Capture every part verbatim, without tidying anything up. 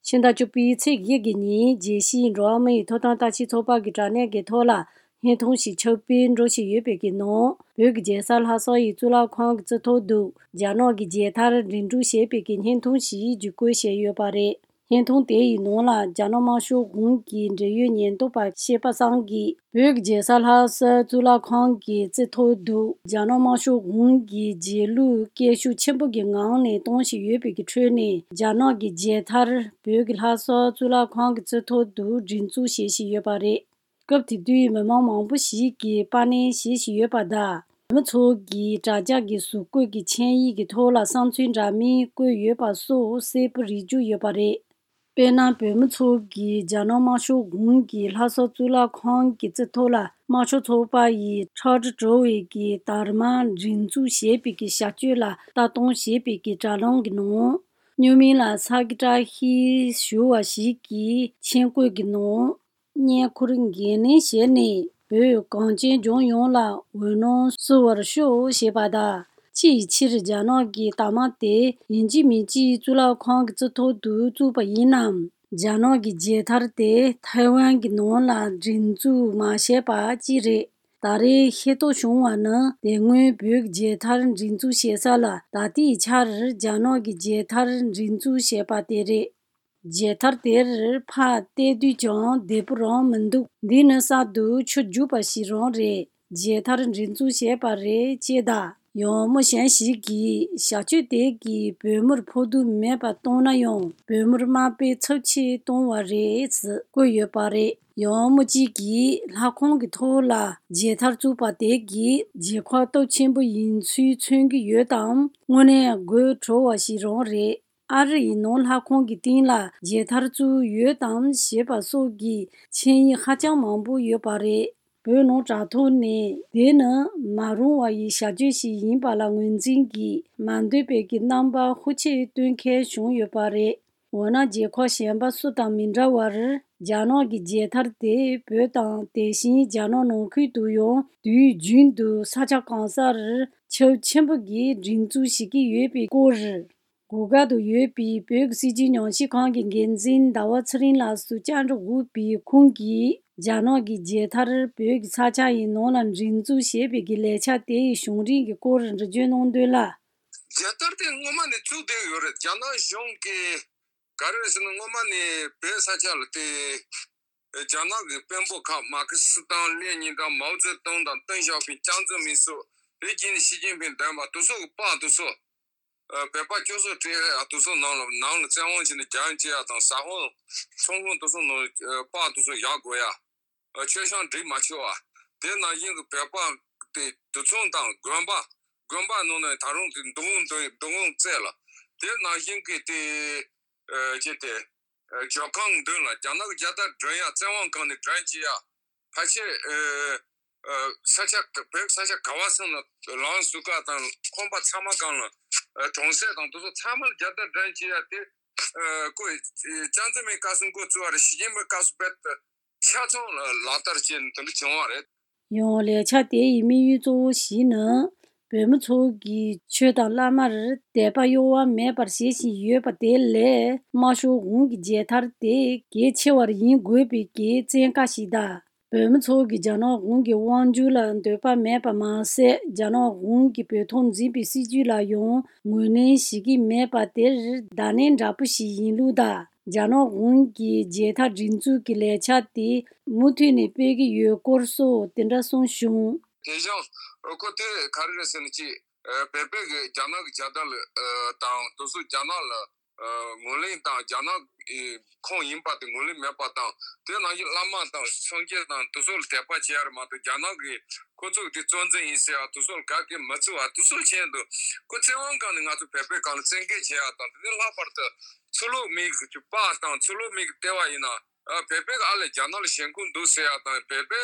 ཕྱི་ཟླ་བཅུ་པའི་ཚེས་བཞི་གི་ཉིན་རྒྱལ་སྤྱིའི་འགྲོ་བ་མིའི་ཐོབ་ཐང་ལྟ་ཞིབ་ཚོགས་པ་གི་དྲ་གནས་ཀྱི་ཐོག་ལ་བརྙན་ཐུང་ཞིག་ཁྱབ་སྤེལ་འགྲོ་བཞིན་ཡོད་པའི་གི་ནང་། བོད་ཀྱི་རྒྱལ་ས་ལྷ་ས་ཡི་གཙུག་ལག་ཁང་གི་རྩིག་ཐོག་ཏུ་རྒྱ་ནག་གི་རྒྱལ་དར་འདྲེན་སྒྲུག་བྱས་པའི་གི་བརྙན་ཐུང་ཞིག་བརྒྱུད་བཀོད་བྱས་ཡོད་པ་རེད། བརྙན་ཐུང་དེ་ཡི་ནང་ལ་རྒྱ་ནག་དམར་ཤོག་གཞུང་གི་འབྲེལ་ཡོད་ཉེན་རྟོག་པ་ཤེས་པ་སང་གིས་བོད་ཀྱི་རྒྱལ་ས་ལྷ་ས་གཙུག་ལག་ཁང་གི་རྩིག་ཐོག་ཏུ་རྒྱ་ནག་དམར་ཤོག་གཞུང་གི་རྗེས་ལུས་སྐད་ཤུགས་ཆེན་པོ་གི་ངང་ནས་གཏོང་བཞིན་ཡོད་པའི་གི་ཁྲོད་ནས། རྒྱ་ནག་གི་རྒྱལ་དར་བོད་ཀྱི་ལྷ་ས་གཙུག་ལག་ཁང་གི་རྩིག་ཐོག་ཏུ་སྒྲེང་འཛུགས་བྱེད་བཞིན་ཡོད་པ་རེད། སྐབས་དེ་དུས་མི་མང་མང་པོ་ཞིག་གིས་པར་ལེན་བྱེད་བཞིན་ཡོད་པ་དང་། བོད་མི་ཚོ་གིས་དྲ་རྒྱ་གི་གཟུགས་བཀོད་ཀྱི་ཆིངས་ཡིག་གི་ཐོག་ལ་བསམ་ཚུལ་འདྲ་མིན་བཀོད་ཡོད་པ་སོགས་གསལ་པོ་རིག་རྒྱུ་ཡོད་པ་རེད། དཔེར་ན། བོད་མི་ཚོ་གིས་རྒྱ་ནག་དམར་ཤོག་གཞུང་གིས་ལྷ་ས་གཙུག་ལག་ཁང་གི་རྩིག་ཐོག་ལ་དམར་ཤོག་ཚོགས་པ་ཡི་ཁྲག་དྲི་བྲོ་བའི་གི་དར་དམར་སྒྲེང་འཛུགས་བྱས་པའི་གི་བྱ་སྤྱོད་ལ་ལྟ་སྟངས་བྱས་པའི་གི་དྲ་ལམ་གྱི་ནང་། སྨྱུག་མིང་ལ་ས་གི་བཀྲ་ཤིས་ཞུ་བ་ཞིག་གིས་མཆན་བཀོད་ཀྱི་ནང་། བསྙེན་བཀུར་འགན་ལེན་བྱས་ནས་བོད་གངས་ཅན་ལྗོངས་ཡོངས་ལ་འོད་སྣང་བསུ་བར་ཤོག་ཞེས་པ་དང་། ཅིའི་ཕྱིར་རྒྱ་ནག་གི་རྟགས་མ་དེ་ཡིན་གཅིག་མིན་གཅིག་གཙུག་ལག་ཁང་གི་རྩིག་ཐོག་ཏུ་བཙུགས་པ་ཡིན་ནམ། རྒྱ་ནག་གི་རྒྱལ་དར་དེ་ཐའེ་ཝན་གྱི་ནང་ལ་སྒྲེང་འཛུགས་མ་བྱས་པ་ཅི་རེད། ད་རེས་ཤེས་རྟོགས་བྱུང་བ་ནི། དེ་སྔོན་བོད་ཀྱི་རྒྱལ་དར་སྒྲེང་འཛུགས་བྱེད་ས་ལ་ད་ལྟའི་ཆར་རྒྱ་ནག་གི་རྒྱལ་དར་སྒྲེང་འཛུགས་བྱས་པ་དེ་རེད། རྒྱལ་དར་དེར་ཕར་བལྟས་དུས་ཀྱང་བདེ་པོ་རང་མི་འདུག་འདི་ནི་གསར་དུ་ཆུ་རྒྱུག་པ་ཞིག་རང་རེད། རྒྱལ་དར་སྒྲེང་འཛུགས་བྱས་པ་རེད་ཅེས་དང་། ཡང་མི་གཞན་ཞིག་གིས་བྱ་སྤྱོད་དེ་གིས་བོད་མིར་ཕོག་ཐུག་མེད་པ་བཏང་ན་ཡང་། བོད་མིར་དམའ་འབེབས་ཚབས་ཆེ་བཏང་བ་རེད་ཟེར་བཀོད་ཡོད་པ་རེད། ཡང་མི་གཅིག་གིས་ལྷ་ཁང་གི་ཐོག་ལ་རྒྱལ་དར་བཙུགས་པ་དེ་གིས་རྒྱལ་ཁབ་སྟོབས་ཆེན་པོ་ཡིན་ཚུལ་མཚོན་གྱི་ཡོད་དམ། དངོས་གནས་དགོད་བྲོ་བ་ཞིག་རང་རེད། ཨ་རི་ཡི་ནང་ལྷ་ཁང་གི་སྟེང་ལ་རྒྱལ་དར་བཙུགས་ཡོད་དམ་ཞེས་པ་སོགས་ཀྱི་མཆན་ཡིག་ཧ་ཅང་མང་པོ་ཡོད་པ་རེད། བོད་ནང་དྲ་ཐོག་ནས་དེ་ནི་མ་རུང་བ་ཡི་བྱ་སྤྱོད་ཞིག་ཡིན་པ་ལ་ངོས་འཛིན་གྱིས་མ་འདོད་པའི་གི་རྣམ་པ་ཤུགས་ཆེ་སྟོན་མཁན་བྱུང་ཡོད་པ་རེད། འོ་ན་རྒྱལ་ཁབ་གཞན་པ་སུ་དང་མི་འདྲ་བར་རྒྱ་ནག་གི་རྒྱལ་དར་དེ་བོད་དང་དེ་བཞིན་རྒྱ་ནག་ནང་ཁུལ་དུ་ཡང་དུས་རྒྱུན་དུ་ས་ཆ་གང་སར་ཁྱབ་ཆེན་པོ་གིས་སྒྲིག་འཛུགས་བྱེད་ཀྱི་ཡོད་པའི་སྐོར། གོ་ག་ཏུ་ཡོད་པའི་བོད་ཀྱི་སྲིད་བྱུས་ཉམས་ཞིབ་ཁང་གི་འགན་འཛིན་ཟླ་བ་ཚེ་རིང་ལགས་སུ་བཅར་འདྲི་འོས་པའི་ཁོང་གིས། རྒྱ་ནག་གི་རྒྱལ་དར་བོད་ཀྱི་ས་ཆ་ཡི་ནང་ལ་སྒྲིག་འཛུགས་བྱེད་པའི་གི་ལས་འཆར་དེ་ཡི་བྱུང་རིམ་གྱི་སྐོར་འགྲེལ་བརྗོད་གནང་དོན་ལ། རྒྱལ་དར་དེ་སྔོན་མ་ནས་བཙུགས་བསྡད་ཡོད་རེད། རྒྱ་ནག་གཞུང་གིས་ག་རེ་ཟེར་ན། སྔོན་མ་ནས་བོད་ས་ཆ་ལ་དེ་རྒྱ་ནག་གི་དཔོན་པོ་ཁག་མར་ཁེ་སི་དང་ལེ་ཉིན་དང་མའོ་ཙེ་ཏུང་དང་ཏེང་ཞའོ་ཕིང་ཅང་ཙེ་མིན་སོགས། དེ་རྗེས་ནས་ཞི་ཅིན་ཕིང་འདོན་པ་དེ་ཚོ་གི་པར་དེ་ཚོ། ཨ། བོད་པ་སྐྱོ་སོགས་སྤྲད་ཡ་དེ་ཚོ་ནང་ལ་ནང་ལ་བཙན་དབང་བྱས་ནས་རྒྱ་ཡན་བྱེད་ཡ་དང་ཟ་ཧོང་ཚོང་ཁང་དེ་ཚོ་ནང་ལ་པར་དེ་ཚོ་བཞག་དགོས་ཡ། མཆོད་བཤམས་སྒྲིག་མ་ཆོག་པ། དེ་ནང་བཞིན་གྱི་བོད་པ་དེ་དུད་ཚང་དང་དགོན་པ། དགོན་པ་ནང་ནས་ད་རུང་དེ་འདུ་ཁང་འདུ་འདུ་ཁང་བརྩེགས་ལ། དེ་ནང་བཞིན་གྱི་དེ་ཨ་ཅེ་དེ་ཨ་ཇོ་ཁང་མདུན་ལ་རྒྱ་ནག་གི་རྒྱལ་དར་སྒྲོན་ཡ། བཙན་དབང་སྒང་ནས་སྒྲོན་བྱེད་ཡ། ཕལ་ཆེར་ཨ་ཨ་ས་ཆ་བོད་ས་ཆ་ག་བ་ཚང་ལ་ལམ་ཟུར་ཁ་དང་ཁང་པ་ཚང་མ་སྒང་ལ། ཨ་གྲོང་གསེབ་དང་དེ་ཚོ་ཚང་མ་ལ་རྒྱལ་དར་སྒྲོན་བྱེད་ཡ་དེ། ཨ་ཁོས་ཅང་ཙེ་མིན་སྐབས་སུ་འགོ་བཙུགས་པ་རེད། ཞི་ཅིན་ཕིང་སྐབས་སུ་རྦད་དེ་ཆ་ཚང་ལ་ལག་བསྟར་བྱས་ནས་དེ་འདྲ་བྱུང་བ་རེད། ཡང་ལས་འཆར་དེ་ཡི་དམིགས་ཡུལ་གཙོ་བོ་ཞིག་ནི། བོད་མི་ཚོ་གིས་ཆོས་དང་བླ་མར་དད་པ་གཡོ་བ་མེད་པར་བྱེད་བཞིན་ཡོད་པ་དེ་ལས། དམར་ཤོག་གཞུང་གི་རྒྱལ་དར་དེ་གལ་ཆེ་བར་ཡིན་དགོས་པའི་གི་བཙན་བཀའ་ཞིག་དང་། བོད་མི་ཚོ་གིས་རྒྱ་ནག་གཞུང་གི་དབང་སྒྱུར་ལ་འདོད་པ་མེད་པ་མ་ཟད། རྒྱ་ནག་གཞུང་གིས་བོད་ཐོག་འཛིན་པའི་སྲིད་བྱུས་ལ་ཡང་ངོས་ལེན་བྱེད་ཀྱི་མེད་པ་དེར་བརྡ་ལན་འདྲ་པོ་ཞིག་ཡིན་ལུགས་དང་། རྒྱ་ནག་གཞུང་གིས་རྒྱལ་དར་སྒྲེང་འཛུགས་ཀྱི་ལས་འཆར་དེ་མུ་མཐུད་ནས་སྤེལ་གྱི་ཡོད་སྐོར་སོགས་དེ་འདྲ་གསུངས་བྱུང་། དེ་བཞིན་ཁོ་དེ་ག་རེ་རེད་ཟེར་ན། ཅིག་བོད་པའི་གི་རྒྱ་ནག་གི་རྒྱལ་དར་ལ་དང་དེ་ཚོ་རྒྱ་ནག་ལ་ངོས་ལེན་དང་། རྒྱ་ནག་གི་ཁོངས་ཡིན་པ་དེ་ངོས་ལེན་མེད་པ་དང་། དེ་ནང་བཞིན་བླ་མ་དང་སངས་རྒྱས་དང་དེ་ཚོ་ལ་དད་པ་བྱེད་ཡ་རེད་མ་གཏོགས། རྒྱ་ནག་གིས་ཁོ་ཚོ་གི་དེ་གཙོ་འཛིན་ཡིན་ཟེར་ཡ་དེ་ཚོ་ལ་ག་གེ་མི་བརྩི་བ་དེ་ཚོ་བྱས་འདུག་ཁོ་བཙན་དབང་སྒང་ནས་ང་ཚོ་བོད་པའི་སྒང་ལ་བཙན་འགེལ་བྱེད་ཡ་དང་། དེ་ནས་ལྷག་པར་དུ་ཚུར་ལོག་མི་གི་པར་དང་། ཚུར་ལོག་མི་གི་ལྟེ་བ་ཡིན་ན། ཨ། བོད་པའི་ཨ་ལས་རྒྱ་ནག་ལ་ཞེན་ཁུངས་འདུག་ཟེར་ཡ་དང་། བོད་པའི་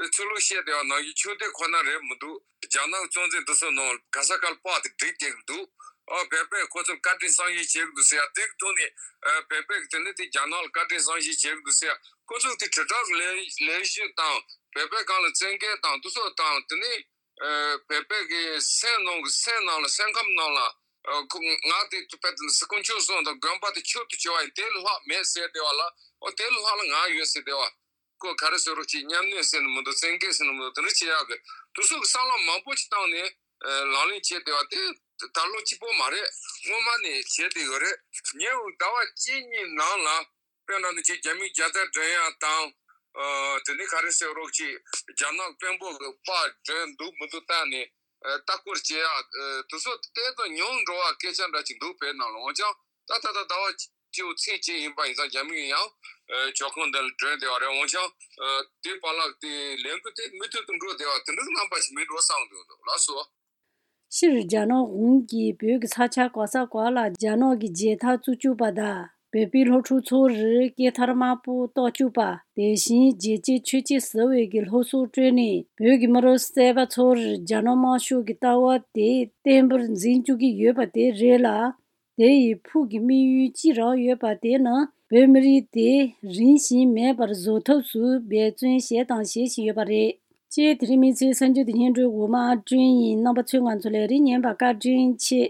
ཚུར་ལོག་བཤད་བསྡད་པ་ནང་བཞིན་ཆོས་དད་ཁོ་ན་རེད་མི་འདུག་རྒྱ་ནག་གཙོ་འཛིན་དེ་ཚོ་ནང་ག་ས་ག་ལ་པར་དེ་སྒྲིག་བསྡད་ཀྱི་འདུག་ཨ། བོད་པས་ཁོ་ཚོར་བཀའ་དྲིན་བསམ་ཤེས་བྱེད་ཀྱི་འདུག་ཟེར་ཡ། དེ་གི་ཐོག་ནས། ཨ། བོད་པས་དེ་ནས་དེ་རྒྱ་ནག་ལ་བཀའ་དྲིན་བསམ་ཤེས་བྱེད་ཀྱི་འདུག་ཟེར་ཡ། ཁོ་ཚོ་དེ་དྲིལ་བསྒྲགས་ལས་ལས་གཞི་དང་བོད་པའི་སྒང་ལ་བཙན་འགེལ་དང་དེ་ཚོ་དང་། དེ་ནས། ཨ། བོད་པའི་གི་སེམས་ནང་གི་སེམས་ནང་ལ། སེམས་ཁམས་ནང་ལ། ཨ་ཁོ་ང་དེ་དཔེ་དེ་སི་ཀུན་ཆོས་གསུངས་དང་དགོན་པ་དེ་ཆོས་དུ་བྱ་བ་ཡིན། དེ་ལྷག་མེད་ཟེར་བསྡད་པ་ལ། ཨོ་དེ་ལྷག་ལ་ང་ཡོད་ཟེར་བསྡད་པ། ཁོ་ག་རེ་ཟེར་རོགས་ཅིག་མཉམ་གནས་ཟེར་ནི་མི་འདུག་བཙན་སྐད་ཟེར་ནི་མི་འདུག་དེ་འདྲ་བྱེད་ཡག་གི་དུས་ཚོད་ཀྱི་བསམ་བློ་མང་པོ་ཞིག་བཏང་ནས་ཨ་ལག་ལེན་བྱས་བསྡད་པ་དེ་ད་ལོ་གཅིག་པོ་མ་རེད། སྔོན་མ་ནས་བྱས་བསྡད་ཡོད་རེད། ཉེ་བའི་ཟླ་བ་གཅིག་གཉིས་ནང་ལ། དཔེར་ན་ནི་ཅིག་རྒྱ་མིའི་རྒྱལ་དར་སྒྲེང་ཡག་དང་། ཨ་དེ་ནས་ག་རེ་ཟེར་རོགས་ཅིག་རྒྱ་ནག་དཔོན་པོ་གི་པར་སྒྲོན་འདུག་མི་འདུག་བལྟས་ནས་ཨ་ལྟ་སྐོར་བྱེད་ཡག་ཨ་དེ་ཚོ་ཏན་ཏན་ཉུང་འགྲོ་བ་སྐད་ཆ་འདྲ་ཅིག་འདུག་བོད་ནང་ལ། འོན་ཀྱང་ད་ད་ད་ཟླ་བ་གཅིག་པོ་ཚེས་གཅིག་ཡིན་པ་ཡིན་ཙང་རྒྱ་མི་ཡིན་ཡང་ཨ་ཇོ་ཁང་འདི་ལ་སྒྲོན་བསྡད་པ་རེད། འོན་ཀྱང་ཨ་དེ་བར་ལ་དེ་ལས་འགུལ་དེ་མུ་མཐུད་དུ་འགྲོ་བསྡད་པ་དེ་འདྲའི་རྣམ་པ་ཞིག་མིན་འགྲོ་བསམ་འདུག་ལགས་སོ། སྤྱིར་རྒྱ་ནག་གཞུང་གིས་བོད་ཀྱི་ས་ཆ་ག་ས་ག་ལ་རྒྱ་ནག་གི་རྒྱལ་དར་བཙུགས་བཅུག་པ་དང་། བོད་པའི་སློབ་ཕྲུག་ཚོར་སྐེ་འཐར་དམར་པོ་གཏོགས་བཅུག་པ། དེ་བཞིན་རྒྱལ་གཅེས་ཆོས་གཅེས་ཟེར་བའི་གི་སློབ་གསོ་སྤྲོད་ནས་བོད་ཀྱི་མི་རབས་གསར་པ་ཚོར་རྒྱ་ནག་དམར་ཤོག་གི་ལྟ་བ་དེ་བརྟན་པོར་འཛིན་བཅུག་གི་ཡོད་པ་དེ་རེད་ལ། དེ་ཡི་ཕུགས་ཀྱི་དམིགས་ཡུལ་ཅི་རག་ཡོད་པ་དེ་ནི་བོད་མི་རིགས་དེ་རིམ་བཞིན་མེད་པར་བཟོ་ཐབས་སུ་འབད་བརྩོན་བྱས་དང་བྱེད་བཞིན་ཡོད་པ་རེད། ཅེས་དེ་རིང་མི་ཚེའི་གསར་འགྱུར་དེ་སྙན་སྒྲོན་འོག་མ་བསྐྲུན་ཡིན། རྣམ་པ་ཚོས་ང་ཚོ་ལ་རིགས་ཉན་པ་བཀའ་དྲིན་ཆེ།